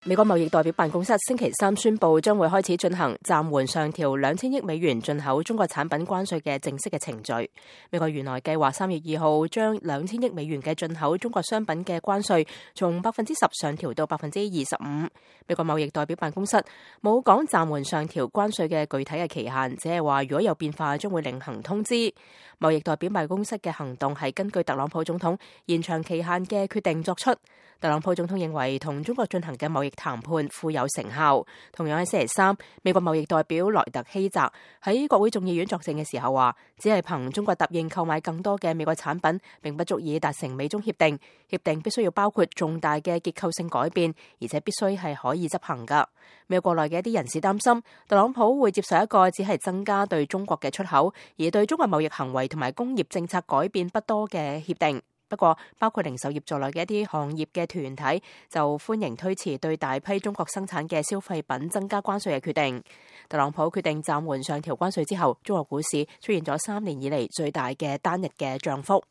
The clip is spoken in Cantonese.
美國貿易代表辦公室星期三宣布，將會開始進行暫緩上調2000億美元進口中國產品關稅嘅正式嘅程序。美國原來計劃3月2號將2000億美元嘅進口中國商品嘅關稅從10%上調到25%。美國貿易代表辦公室冇講暫緩上調關稅嘅具體嘅期限，只係話如果有變化，將會另行通知。貿易代表辦公室嘅行動係根據特朗普總統延長期限嘅決定作出。特朗普總統認為同中國進行嘅貿易談判富有成效。同樣喺星期三，美國貿易代表萊特希澤喺國會眾議院作證嘅時候話，只係憑中國答應購買更多嘅美國產品，並不足以達成美中協定。協定必須要包括重大嘅結構性改變，而且必須係可以執行㗎。美國國內嘅一啲人士擔心，特朗普會接受一個只係增加對中國嘅出口，而對中國貿易行為同埋工業政策改變不多嘅協定。不過，包括零售業在內嘅一啲行業嘅團體就歡迎推遲對大批中國生產嘅消費品增加關稅嘅決定。特朗普決定暫緩上調關稅之後，中國股市出現咗3年以嚟最大嘅單日嘅漲幅。